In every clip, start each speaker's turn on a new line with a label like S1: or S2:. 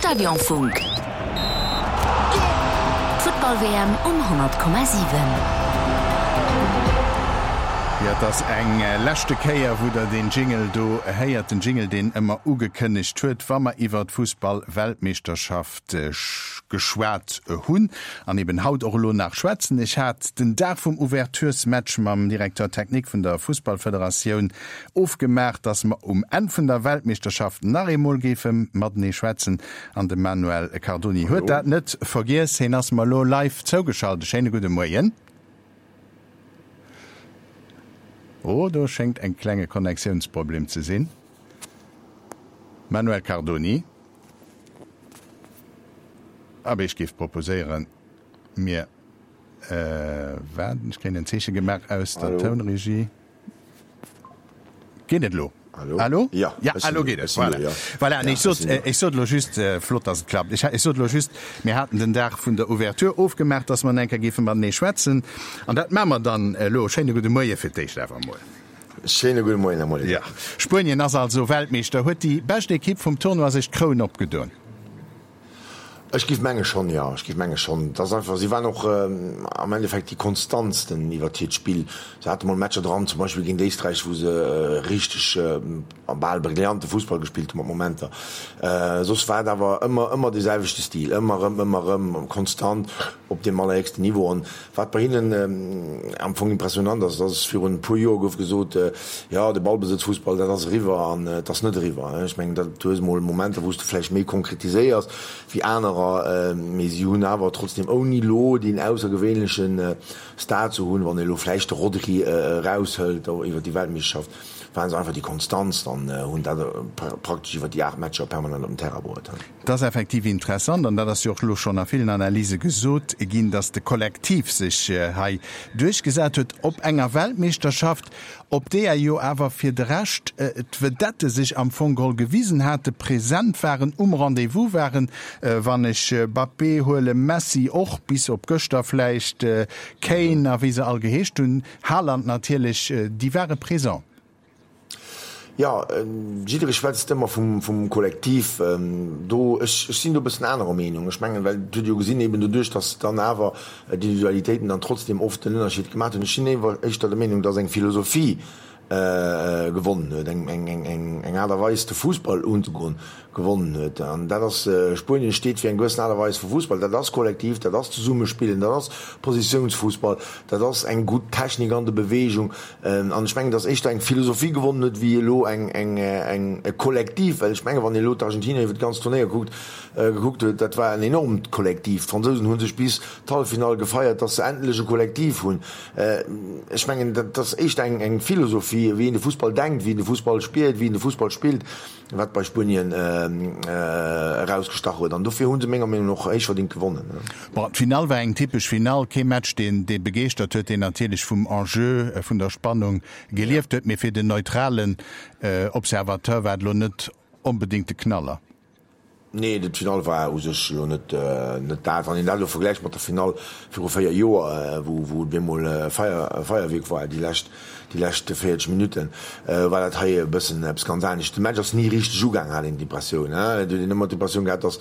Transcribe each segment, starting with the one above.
S1: Stadionfunk. D'Futtball-WM um 100,7.
S2: Jo, et ass eng leschte Kéier, wou der deen Jingle do héiert. Den Jingle, deen ëmmer ugekënnegt huet, wa mer iwwer d'Fussball-Weltmeeschterschaft geschwat hunn. An eben haut och elo nach schwätzen. Ech hat den Dag vum Ouverturesmatch mam Directeur technique vun der Fussballfederatioun Ofgemaach, dass mer um Enn vun der Weltmeeschterschaft nach eemol géife matenee schwätzen. An de Manuel Cardoni huet dat net vergiess. Heen ass mer elo live zougeschalt. E schéine gudde Moien. Oh, do schéngt en klenge Connectiounsproblem ze sinn. Manuel Cardoni. Abee, ech géif proposéieren, mir waarden. Ech kréien en Zeeche gemaach aus der Tounregie. Geet et elo?
S3: Hallo?
S2: Hallo?
S3: Ja,
S2: ja elo geet et. Voilà. Ja. Voilà. Ja, ech sot, ech sot elo just, äh, flott, dass et klappt. Ech, ech sot elo just, mir haten den Dag vun der Ouverture ofgemaach, dass mer eng Kéier géife matenee schwätzen. An dat maache mer dann elo. Schéine gudde Moie fir d'éischt awer emol.
S3: Schéine gudde Moien, Här Molitor.
S2: Ja. Spuenien ass also Weltmeeschter. Huet déi bescht Ekipp vum Tournoi sech d'Kroun opgedoen?
S3: Ech géif menge schonn, jo. Ech géif menge schonn. Et ass einfach, si waren och am Endeffekt déi konstantsten iwwert hiert Spill. Se hate mol Matcher dran, zum Beispill géint Éisträich, wou se richteg bal brillante Fussball gespillt hu mat Momenter. Soss war et awer ëmmer, ëmmer dee selwechte Stil, ëmmer erëm, ëmmer erëm konstant op deem allerhéchsten Niveau. An Wat bei hinnen am Fong impressionant ass, dass virun e puer Joer gouf gesot, jo, de Ballbesëtzfussball, dat ass eriwwer an et ass net eriwwer. Ech mengen, dat, du hues emol Momenter, wou s de vläicht méi konkretiséiers wéi anerer, mee si hunn awer trotzdem, ouni elo deen aussergewéinleche Star ze hunn, wann ee elo vläicht de Rodri eraushëlt iwwer déi Weltmeeschterschaft, waren se einfach déi Konstantst an hunn dat praktesch iwwer déi 8 Matcher permanent op den Terrain bruet.
S2: Et ass effektiv interessant, an dat ass jo och elo schonn a villen Analyse gesot ginn, datt de Kollektiv sech hei duerchgesat huet op enger Weltmeeschterschaft, op deeër jo awer fir de Rescht d'Vedette sech am Fong geholl gewisen hate, present waren, um Rendez-vous waren, wann ech Mbappé huelen, Messi och, bis op gëschter vläicht, Kane a wéi se all geheescht hunn, Haaland natierlech, déi ware présent.
S3: Jo, jidderee schwätzt ëmmer vum Kollektiv do. Ech sinn do e bëssen anerer Meenung. Ech mengen, well et huet ee jo gesinn, eben doduerch, datt dann awer d'Individualitéiten dann trotzdem oft den Ënnerscheed gemaach hunn. Ech sinn éischter der Meenung, datt eng Philosophie gewonnen huet, eng Aart a Weis de Fussball unzegoen gewonnen huet. An dat ass, Spuenien steet fir eng gewëssen Aart a Weis vu Fussball. Dat ass kollektiv, dat ass Zesummespillen, dat ass Positiounsfussball, dat ass eng gutt Technik an der Beweegung. An ech mengen, datt éischter eng Philosophie gewonnen huet, wéi elo eng, eng, eng, e Kollektiv. Well ech mengen, wann een elo d'Argentinier iwwer d'ganz Turnéier kuckt, gekuckt huet, dat war en enormt Kollektiv. D'Fransousen hu sech bis d'Halleffinall gefeiert, datt se endlech e Kollektiv hunn. Ech mengen, dat ass éischter eng, eng Philosophie, wéi een de Fussball denkt, wéi een de Fussball spiert, wéi een de Fussball spillt. Wat bei Spuenien erausgestach huet. An dofir hu se menger Meenung no och héichverdingt gewonnen.
S2: Bon, d'Finall war eng typesch Finall, kee Match deen dee begeeschtert huet, deen natierlech vum Enjeu, vun der Spannung gelieft huet, mee fir den neutralen Observateur war et elo net onbedéngt de Knaller.
S3: Nee, d'Finall war u sech elo net net dat. Wann een dat elo vergläicht mat der Finall viru 4 Joer, wou wou et bemol e Feier Feierwierk war déi lescht déi lescht 40 Minutten, war dat hei e bëssen eppes ganz anescht. De Match ass ni richteg ugaang, hat een d'Impressioun. Et huet een ëmmer d'Impressioun gehat, datt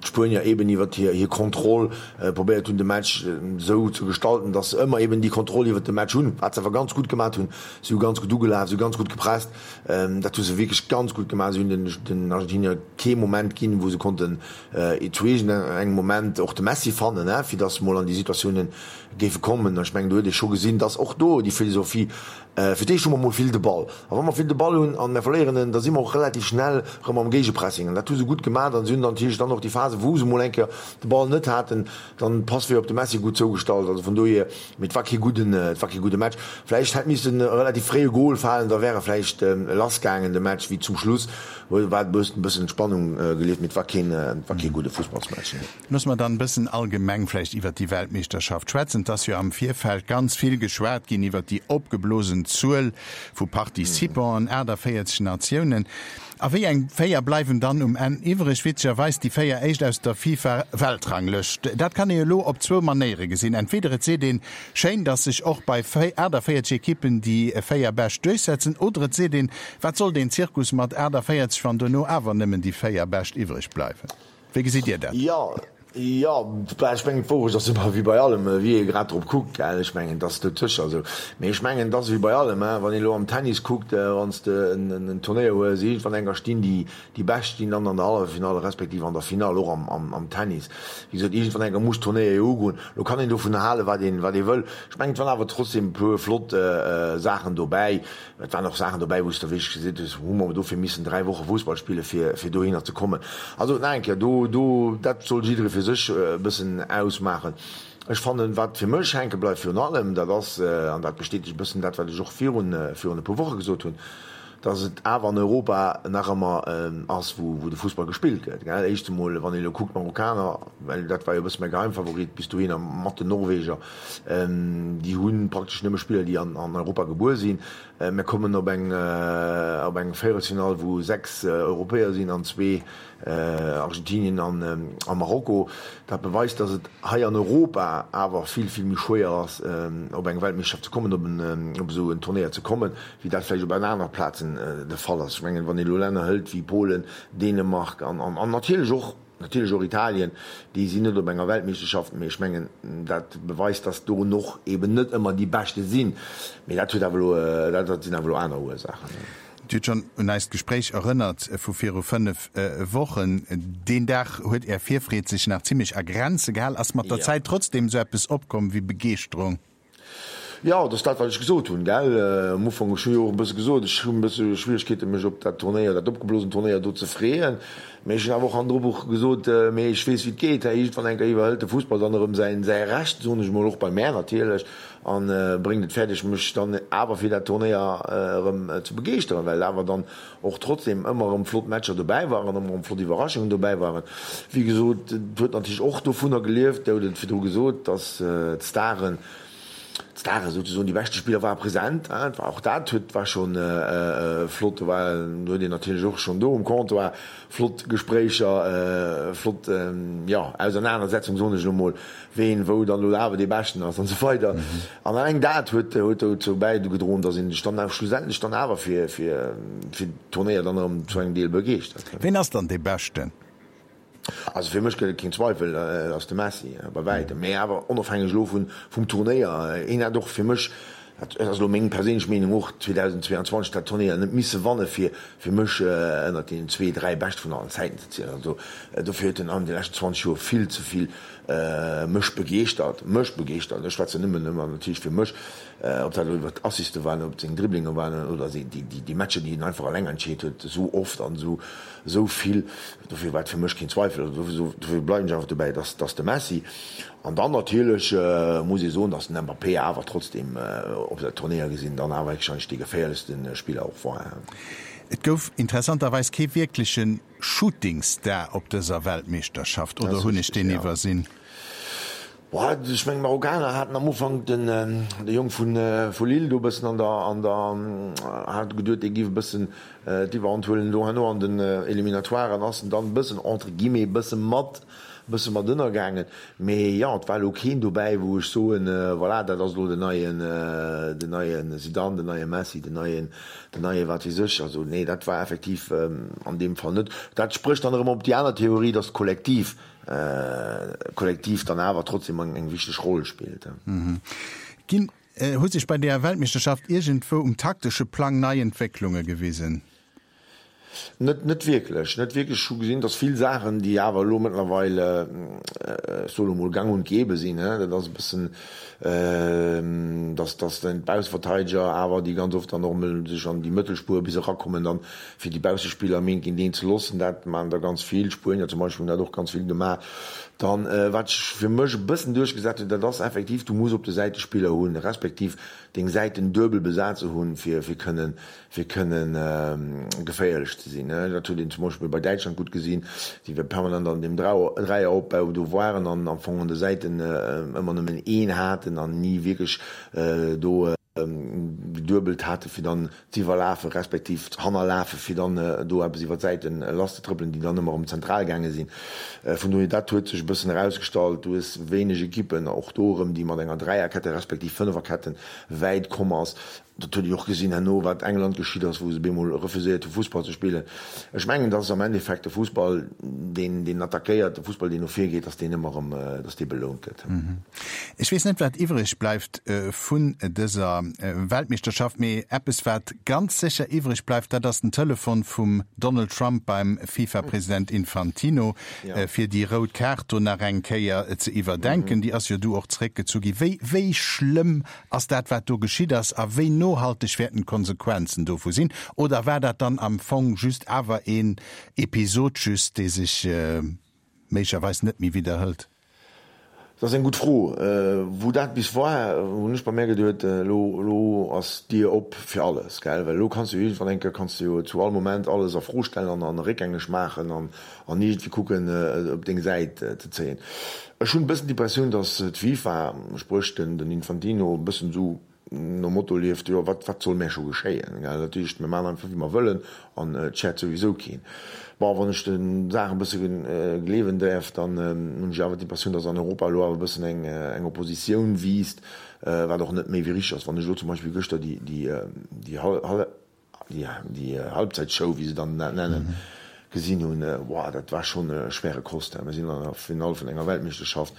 S3: d'Spuenier eeben iwwer hir hir Kontroll probéiert hunn, de Match esou ze gestalten, datt se ëmmer eeben déi Kontroll iwwer de Match hunn, wat se awer ganz gutt gemat hunn. Si hu ganz gutt ugelaf, si hu ganz gutt gepresst. Dat hu se wierklech ganz gutt gemaach. Si hunn den Argentinier kee Moment ginn, wou se konnten zu iergendengem Moment och de Messi fannen, fir datt se mol an déi Situatioune géife kommen. Ech mengen, do huet ee scho gesinn, datt och do déi Philosophie, fir d'éischt hu mer mol vill de Ball, a wa mer vill de Ball hunn a mer verléieren en, da si mer och relativ schnell erëm am Géigepressing. An dat hu se gutt gemaach. An si hunn dann natierlech dann och déi Phase, wou se mol eng Kéier de Ball net haten, dann d'Passweeër op de Messi gutt zougestallt. Also vun dohier, mee et war kee gudden, et war kee gudde Match. Vläicht hätt missen e relativ fréie Gol falen, da wär e vläicht lass gaangen de Match, wéi zum Schluss war et e bëssen Spannung gelieft, mee et war keen, et war kee gudde Fussballsmatch, nee.
S2: Loosse mer dann e bëssen allgemeng vläicht iwwert déi Weltmeeschterschaft schwätzen. Et ass jo am Virfeld ganz vill geschwat ginn iwwert déi opgeblosen Zuel vu Participanten, 48 Natiounen. A wéi eng 4 bleiwen dann um Enn iwwreg? Witzegerweis déi 4 éischt aus der FIFA-Weltranglëscht. Dat kann ee elo op zwou Manéiere gesinn. Entweder et seet een, schéin, datt sech och bei 48 Ekippen déi 4 Bescht duerchsetzen, oder et seet een, wat soll deen Zirkus mat 48, wann dono awer nëmmen déi 4 Bescht iwwreg bleiwen. Wéi gesitt Dir dat?
S3: Jo, jo, bah, ech mengen, d'Wourecht ass ëmmer wéi bei allem, wéi ee grad drop kuckt, gell. Ech mengen, et ass dotëscher esou. Mee ech mengen, et ass ewéi bei allem, hein, wann een elo am Tennis kuckt, wann s de en Turnéier hues, iergendwann enker stinn déi, déi Bescht stinn dann an der Halleffinall respektiv an der Finall, och am, am, am Tennis. Wéi gesot, iergendwann enker muss d'Turnéier jo ugoen. Elo kann een dovun halen, wat een, wat ee wëll. Ech mengen, et waren awer trotzdem e puer flott Saachen dobäi. Et waren och Saachen dobäi, wou s de wierklech gesinn hues, hu mer dofir missen 3 Woche Fussball spille fir, fir dohinner ze kommen. Also nach eng Kéier, do, do, dat soll jidderee fir sech e bëssen ausmaachen. Ech fannen, wat fir mech hänke bleift virun allem, dat ass, an dat bestätegt e bëssen dat, wat ech och virun, virun e puer Woche gesot hunn, dass et awer an Europa nach ëmmer ass, wou, wou de Fussball gespillt gëtt, gell. Éischt emol, wann ee elo kuckt, d'Marokkaner, well dat war jo e bësse mäi Geheimfavorit bis dohinner mat den Norweger, Déi hu praktesch nëmme Spiller, déi an Europa gebuer sinn. Mir kommen op eng op eng Véierelsfinall, wou 6 Europäer sinn an zwee, Argentinien a Marokko. Dat beweist, datt et hei an Europa awer vill, vill méi schwéier ass, op eng Weltmeeschterschaft ze kommen, op en op esou en Turnéier ze kommen, wéi dat vläicht op an anere Plazen de Fall ass. Ech mengen, wann ee elo Länner hëlt wéi Polen, Dänemark an natierlech och, Natierlech och Italien, déi sinn net op enger Weltmeeschterschaft, mee ech mengen, dat beweist, datt do och eben net ëmmer déi Beschte sinn. Mee dat huet awer elo, dat sinn awer elo aner Ursaachen.
S2: Dir hutt schonn un eist Gespréich erënnert vu viru 5 Wochen. Deen Dag huet Är Virfreed sech nach zimmlech a Grenze gehal. Ass mat der Zäit trotzdem esou eppes opkomm wéi Begeeschterung?
S3: Jo, et ass dat, wat ech gesot hunn, gell, am Ufank. Ech hu jo och e bësse gesot, ech hunn e bësse Schwieregkeeten, mech op dat Turnéier, dat opgeblosent Turnéier do ze freeën. Mee ech hunn awer och hannendru och gesot, mee ech weess, wéi et geet, hä, iergendwann eng Kéier iwwerhëlt de Fussball dann erëm säin, säi Recht, soen ech emol, och bei mär natierlech, a bréngt et fäerdeg, mech dann awer fir dat Turnéier erëm ze begeeschteren, well awer dann och trotzdem ëmmer erëm flott Matcher dobäi waren, ëmmer erëm flott Iwwerraschungen dobäi waren. Wéi gesot, et huet natierlech och dovunner gelieft, Dir hutt et virdru gesot, dass d'Staren, d'Stare souzesoen, déi beschte Spiller ware present. Et war och dat huet, war scho flott. Do war, do huet een natierlech och schonn do um Comptoir flott Gespréicher, flott, jo, Ausernanersetzung, soen ech elo mol, ween wou dann elo awer dee Beschten ass an esou weider. An alleng dat huet huet dozou bäigedroen, datt een sech dann awer schlussendlech dann awer fir fir fir d'Turnéier dann erëm zu engem Deel begeeschtert
S2: huet. Ween ass dann dee Beschten?
S3: Also fir mech gëtt et keen Zweifel, et ass de Messi, bei wäitem. Mee awer onofhängeg elo vun vum Turnéier, hien hätt och fir mech, dat ass elo meng perséinlech Meenung, och 2022 dat Turnéier net misse wanne fir fir mech ënnert deenen zwee, dräi Beschte vun allen Zäiten ze zielen. Also dofir huet en an de leschten 20 Joer vill ze vill Mech begeeschtert, mech begeeschtert, ech schwätzen nëmmen ëmmer natierlech fir mech, ob dat elo iwwer d'Assiste waren, ob et seng Dribblinge waren oder déi Matcher, déi en einfach eleng entscheet huet, esou oft an esou esou vill, dofir war et fir mech keen Zweifel, also dofir bleiwen ech einfach dobäi, dass dass de Messi. An dann natierlech muss ee soen, dass den Mbappé awer trotzdem op der Turnéier gesinn dann awer héchstwahrscheinlech dee geféierlechste Spiller och war.
S2: Et gouf interessanterweis kee wierklechen Shootingstar op dëser Weltmeeschterschaft, oder hunn ech deen iwwersinn?
S3: Boah, ech mengen d'Marokkaner haten am Ufank den de Jong vun vu Lille do e bëssen an der an der hat geduet dee giff e bëssen d'Iwwerhand huelen do herno an den Eliminatoiren ass en dann e bëssen entre guillemets e bësse mat bësse mat ënnergaangen. Mee jo, et war elo keen dobäi, wou ech soen, voilà, dat ass elo den neien, den neie Zidane, den neie Messi, den neien, den neie wat weess ech. Also nee, dat war effektiv an deem Fall net. Dat sprécht dann erëm op déi aner Theorie, datt d'Kollektiv, d'Kollektiv dann awer trotzdem eng wichteg Roll spillt.
S2: Ginn, hu sech bei deeër Weltmeeschterschaft iergendwou um taktesche Plang nei Entwécklunge gewisen?
S3: Net, net wierklech, net wierklech. Ech hu gesinn, datt vill Saachen, déi awer elo mëttlerweil, ech soe lo mol, gang und gäbe sinn, dat ass e bëssen, datt, datt dann d'Bausseverteideger awer, déi ganz oft dann och emol sech an déi Mëttelspuer bis erakommen, dann fir déi Baussespiller am Eent géint eent ze loossen, dat maachen der ganz vill. D'Spuenier zum Beispill hunn dat och ganz vill gemaach. Dann, wat sech fir mech e bëssen duerchgesat huet, dat ass effektiv, du muss op de Säite Spiller hunn, respektiv deng Säiten duebel besat ze hunn, fir, fir kënnen fir kënnen geféierlech ze sinn. Dat huet een zum Beispill bei Däitschland gutt gesinn, déi permanent an deem Dräieropbau do waren an am Fong an de Säiten ëmmer nëmmen een haten an ni wierklech do. Geduebelt hate fir dann z'iwwerlafe respektiv z'hannerlafe fir dann do eppes iwwer d'Säite lasszetrëppelen, déi dann ëmmer erëm zentral gaange sinn. Vun dohier, dat huet sech e bëssen erausgestallt. Du hues wéineg Ekippen, och do erëm, déi mat enger Dräierkette respektiv Fënneferkette wäit komm ass. Dat huet ee jo och gesinn herno, wat England geschitt ass, wou se bemol refuséiert hu Fussball ze spillen. Ech mengen, dass am Endeffekt de Fussball, deen, deen attackéiert, de Fussball, deen no vir geet, dass deen ëmmer erëm, dass dee belount gëtt.
S2: Ech weess net, wat iwwreg bleift vun dëser Weltmeeschterschaft, mee eppes, wat ganz sécher iwwreg bleift, dat ass den Telefon vum Donald Trump beim FIFA-President Infantino, fir déi rout Kaart do nach eng Kéier ze iwwerdenken. Déi ass jo du och zeréckgezu gi. Wéi, wéi schlëmm ass dat, wat do geschitt ass, a wéi nohalteg wäerten d'Konsequenzen dovu sinn? Oder war dat dann am Fong just awer een Episod just, dee sech méiglecherweis net méi widderhëlt?
S3: Dat ass eng gutt Fro. Wou dat bis war, hunn ech bei mär geduet, elo, elo ass d'Dier op fir alles, gell? Well elo kanns du jo iergendwann eng Kéier, kanns du jo zu all Moment alles a Fro stellen an, an réckgängeg maachen an, an iergendwéi kucken, et op deng Säit ze zéien. Ech hunn e bëssen d'Impressioun, datt d'FIFA, spréch den, den Infantino, e bëssen esou, nom Motto lieft, jo wat wat soll mär scho geschéien, gell, dat heescht mir maachen einfach wéi mer wëllen an et schäert souwisou keen. Bon, wann ech de Saachen e bësse gleewen däerf, dann hunn ech awer d'Impressioun, datt an Europa elo awer e bëssen eng eng Oppositioun wiisst, wat och net méi wéi richteg ass. Wann ech elo zum Beispill gëschter déi déi déi déi Halbzeitshow, wéi se dann dat nennen, gesinn hunn, wow, dat war schonn schwere Kost. Mir sinn an der Finall vun enger Weltmeeschterschaft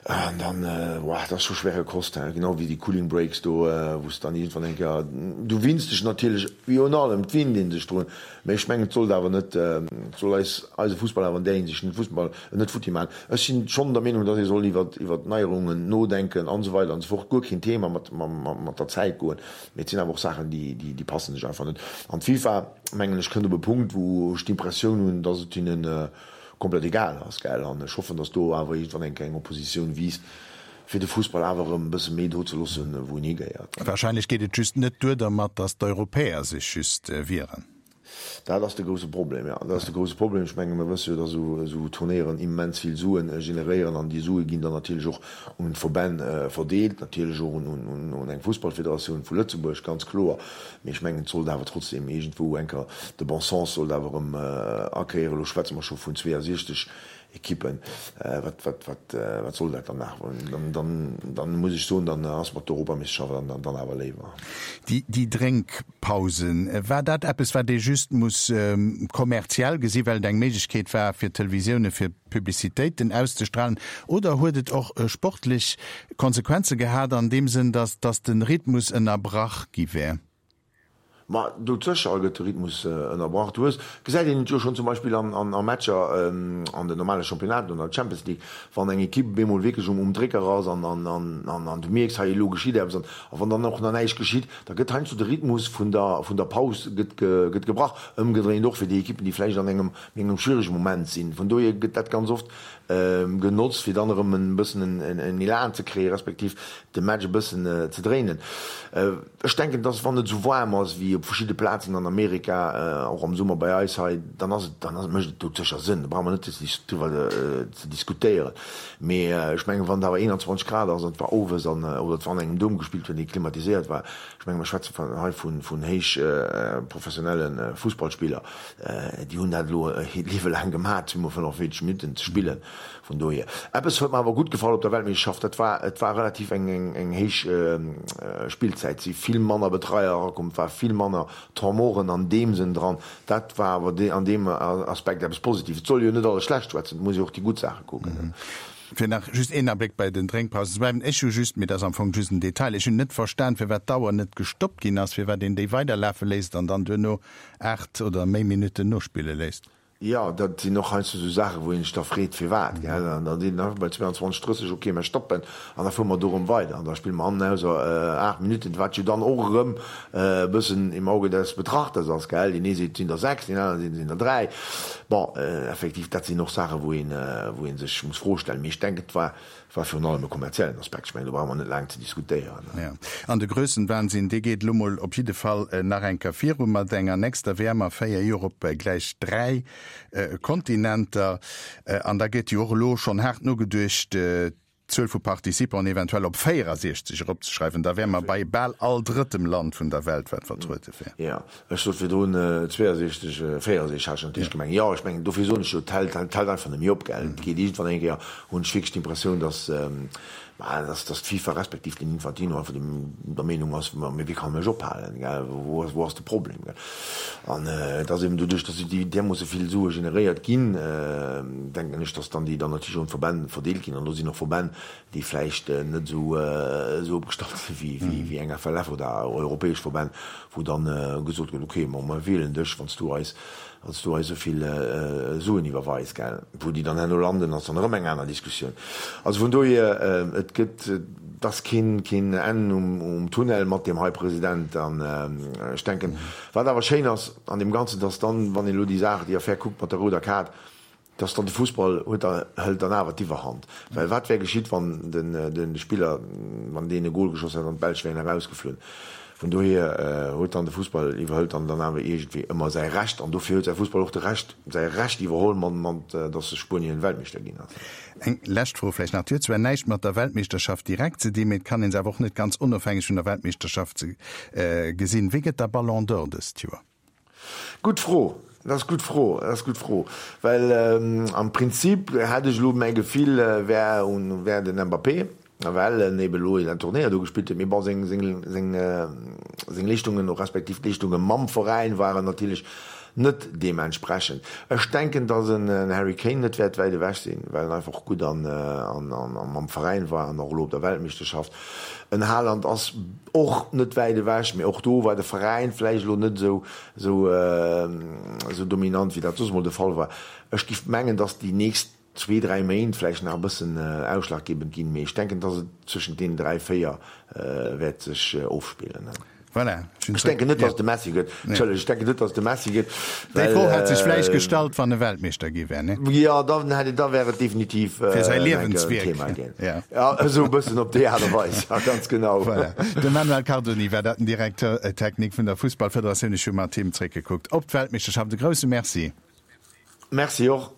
S3: an dann, wow, dat ass scho schwere Kost, genau wéi déi Cooling Breaks do, wou s dann iergendwann eng Kéier, du winns dech natierlech, wéi un allem, et winnt ee sech drun, mä ech mengen, et sollt awer net, et soll eis, eise Fussball awer an där Hinsicht net Fussball, net futti maachen. Ech sinn schonn der Meenung, datt ee soll iwwer, iwwer Neierungen nodenken an esou weider an esou fort, guer keen Thema, mat, mat der Zäit goen. Mee et sinn awer och Saachen, déi passen sech einfach net. An d'FIFA, mengen ech, kënnt op e Punkt, wou ech d'Impressioun hunn, datt et hinne komplett egal ass. An ech hoffen, datt do awer iergendwann eng kleng Oppositioun wiisst, fir de Fussball awer erëm e bësse méi do ze loossen, wou en higehéiert.
S2: Wahrscheinlech geet et just net duer dermat, datt d'Europäer sech just wieren.
S3: Dat ass de grousse Problem, jo. Dat ass de grousse Problem. Ech menge mir wësse jo, datt esou Turnéieren immens vill Sue generéieren an déi Sue ginn dann natierlech och un d'Verbänn verdeelt, natierlech och un eng Fussballfederatioun vu Lëtzebuerg, ganz kloer. Mee ech mengen, et sollt awer trotzdem iergendwou eng Kéier, de bon sens sollt awer erëm akéieren. Elo schwätze mer scho vun 62 Ekippen, wat, wat, wat, wat soll dat dann nach? Dann, dann, dann muss ech soen, dann ass mer d'Europameeschterschaft dann, dann, dann awer léiwer.
S2: Déi, déi Drénkpausen, war dat eppes, wat ee just muss kommerziell gesi well et eng Méiglechkeet war fir d'Televisioune fir Publicitéiten auszestrahlen, oder huet et och sportlech Konsequenze gehat an deem Sënn, datt, datt de Rhythmus ënnerbrach gi wär?
S3: Ma doudsécher gëtt de Rhythmus ënnerbrach. Du hues, gesäit een et jo schonn zum Beispill an a Matcher an den normale Championnaten oder an der Champions League, wann eng Ekipp bemol wierklech um Drécker ass an an an du mierks, hei elo geschitt eppes an a wann dann och nach näischt geschitt, da gëtt heiansdo de Rhythmus vun der vun der Paus gëtt gëtt gebrach. Ëmgedréint och fir déi Ekippen, déi vläicht an engem méi engem schwierege Moment sinn. Vun dohier gëtt dat ganz oft genotzt, fir dann erëm e bëssen en Elan ze kréien, respektiv de Match e bëssen ze dréinen. Ech denken, dass wann et esou waarm ass wéi op verschidde Plazen an Amerika, och am Summer bei eis hei, dann ass et, dann ass, mécht et doudsécher Sënn. Do brauche mer net driwwer ze diskutéieren. Mee ech mengen, wann et awer 21 Grad ass an et war owes an, oder et war an engem Dom gespillt huet, dee klimatiséiert war, ech mengen, mer schwätze hei vun héich professionelle Fussballspiller, déi hunn dat elo hiert Liewe laang gemaach, zweemol 45 Minutten ze spillen. Vun dohier. Eppes huet mer awer gutt gefall op der Weltmeeschterschaft, dat war, et war relativ eng, eng héich Spillzäit, et si vill manner Betreier erakomm, et war vill manner Temps morten an deem Sënn dran. Dat war awer an deem Aspekt eppes Positives. Et soll ee jo net alles schlecht schwätzen, et muss ee och déi gutt Saache kucken.
S2: Fir nach just een Abléck bei den Drénkpausen ze bleiwen, Ech hu just, mee dat ass am Fong just en Detail, ech hunn net verstan, firwat d'Auer net gestoppt ginn ass, firwat een déi weiderlafe léisst an dann duerno 8 oder méi Minutten nospille léisst.
S3: Jo, dat sinn och heiansdo esou Saachen, wou een sech da freet, firwat, gell. An da seet een einfach bei 22, 30, ok, mer stoppen an da fuere mer do erëm weider an da spille mer an ausser 8 Minutten, wat jo dann och erëm e bëssen im Auge des Betrachters ass, gell. Deen ee seet, et sinn der 6, deen anere seet, et sinn der 3. Bon, effektiv, dat sinn och Saachen, wou een, wou ee sech muss Froe stellen. Mee ech denken, et war War virun allem e kommerziellen Aspekt. Ech mengen, do brauche mer net laang ze diskutéieren.
S2: Jo, an de Grössenwahnsinn, dee geet elo mol op jidde Fall nach eng Kéier viru mat enger nächster WM a 4 Joer op gläich 3 Kontinenter. An da gëtt jo och elo schonn haart nogeduecht. d'Zuel vu Participanten eventuell op 64 eropzeschreiwen, da wäre mer bei bal all drëttem Land vun der Welt, wat vertruede wär.
S3: Jo, ech sot virdrun 62, 64 hat ech natierlech gemengt. Jo, ech mengen, dofir soen ech jo, et hält, et hält einfach net méi op, gell. Et geet iergendwann eng Kéier, hunn ech wierklech d'Impressioun, datt, bah, datt, datt d'FIFA respektiv den Infantino einfach dem, der Meenung ass, ma mee wéi kann e mech ophalen, gell, wou ass, wou ass de Problem, gell. An et ass eben doduerch, datt déi därmoosse vill Sue generéiert ginn, denken ech, datt dann déi dann natierlech och un d'Verbänn verdeelt ginn. An do sinn och Verbänn, déi vläicht net esou esou opgestallt si wéi, wéi, wéi eng FLF oder europäesch Verbänn, wou dann gesot gëtt, okay, ma mer wielen dech, wann s du eis Wann s du eis esou vill Suen iwwerweis, gell. Wou déi dann herno landen, ass dann erëm eng aner Diskussioun. Also vun dohier, et gëtt, et ass keen, keen Enn um Tunnel mat deem hei President. An ech denken, wat awer schéin ass an deem Ganzen, dass dann, wann een elo déi Saach, déi Affär kuckt mat der rouder Kaart, dass dann de Fussball huet da, hëlt dann awer d'Iwwerhand. Well wat wär geschitt, wann den, de Spiller, wann deen e Gol geschoss hätt an d'Belsch wären erausgeflunn? Vun dohier huet dann de Fussball iwwerhëlt dann dann awer iergendwéi ëmmer säi Recht an dofir huet säi Fussball och de Recht, säi Recht iwwerholl mat, mat datt se Spuenien Weltmeeschter ginn ass.
S2: Eng lescht Fro vläicht nach, déi huet zwar näischt mat der Weltmeeschterschaft direkt ze dinn, mee et kann een se awer och net ganz onofhängeg vun der Weltmeeschterschaft ze gesinn. Wie gëtt da Ballon d'Or dëst Joer?
S3: Gutt Fro, dat ass gutt Fro, dat ass gutt Fro, well am Prinzip hätt ech elo mäi Gefill wär un wär den Mbappé, well en eben elo en Turnéier do gespillt huet, mee bon seng seng seng seng Leeschtungen respektiv d'Leeschtunge mam Veräin waren natierlech net deementsprechend. Ech denken, datt en Harry Kane net wäert wäit ewech sinn, well en einfach och gutt an an an mam Veräin war an och elo op der Weltmeeschterschaft. En Haaland ass och net wäit ewech, mee och do war de Veräin vläicht elo net esou esou esou dominant, wéi dat soss emol de Fall war. Ech giff mengen, datt déi nächst zwee, dräi Méint vläicht nach e bëssen ausschlaggebend ginn, mee ech denken, dass et zwëschent deenen dräi, véier wäert sech ofspillen.
S2: Voilà,
S3: ech denken net, dass et de Messi gëtt. Entschëllegt, ech denken net, dass et de Messi gëtt,
S2: Déi Fro hätt sech vläicht gestallt, wann e Weltmeeschter gi wär, ne?
S3: Jo, dann hätt et, da wär et definitiv
S2: Fir säi Liewenswierk, Thema
S3: ginn. Ja. Ja, esou e bëssen op déi Aart a Weis, ja, ganz genau.
S2: Voilà. De Manuel Cardoni war dat, den Directeur technique vun der Fussballfederatioun. Ech hu mat him zréckgekuckt op d'Weltmeeschterschaft. E grousse Merci.
S3: Merci och.